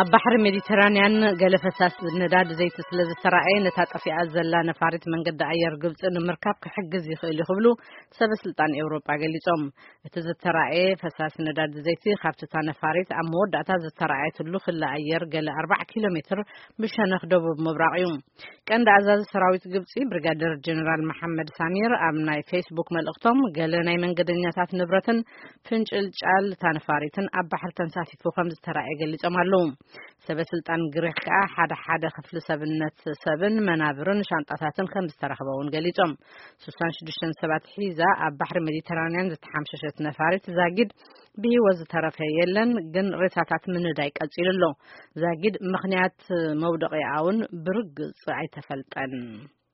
ኣብ ባሕሪ ሜዲተራንያን ገለ ፈሳሲ ነዳዲ ዘይቲ ስለ ዝተራእየ፣ ነታ ጠፊኣ ዘላ ነፋሪት መንገዲ ኣየር ግብጺ ንምርካብ ክሕግዝ ይኽእል እዩ ክብሉ ሰበ ስልጣን ኤውሮጳ ገሊጾም። እቲ ዝተራእየ ፈሳሲ ነዳዲ ዘይቲ ካብቲ እታ ነፋሪት ኣብ መወዳእታ ዝተራእየትሉ ክሊ ኣየር ገለ ኣርባዓ ኪሎ ሜትር ብሸነኽ ደቡብ ምብራቕ እዩ። ቀንዲ ኣዛዚ ሰራዊት ግብጺ ብሪጋደር ጀነራል መሓመድ ሳሚር ኣብ ናይ ፌስቡክ መልእኽቶም፣ ገለ ናይ መንገደኛታት ንብረትን ፍንጭልጫል እታ ነፋሪትን ኣብ ባሕሪ ተንሳፊፉ ከም ዝተራእየ ገሊጾም ኣለዉ። ሰበ ስልጣን ግሪኽ ከኣ ሓደ ሓደ ክፍሊ ሰብነት ሰብን መናብርን ሻንጣታትን ከም ዝተረኽበ እውን ገሊጾም። ስሳን ሽዱሽተን ሰባት ሒዛ ኣብ ባሕሪ ሜዲተራንያን ዝተሓምሸሸት ነፋሪት ዛጊድ ብህይወት ዝተረፈ የለን፣ ግን ሬሳታት ምንዳይ ቀጺሉ ኣሎ። ዛጊድ ምኽንያት መውደቂኣ እውን ብርግጽ ኣይተፈልጠን።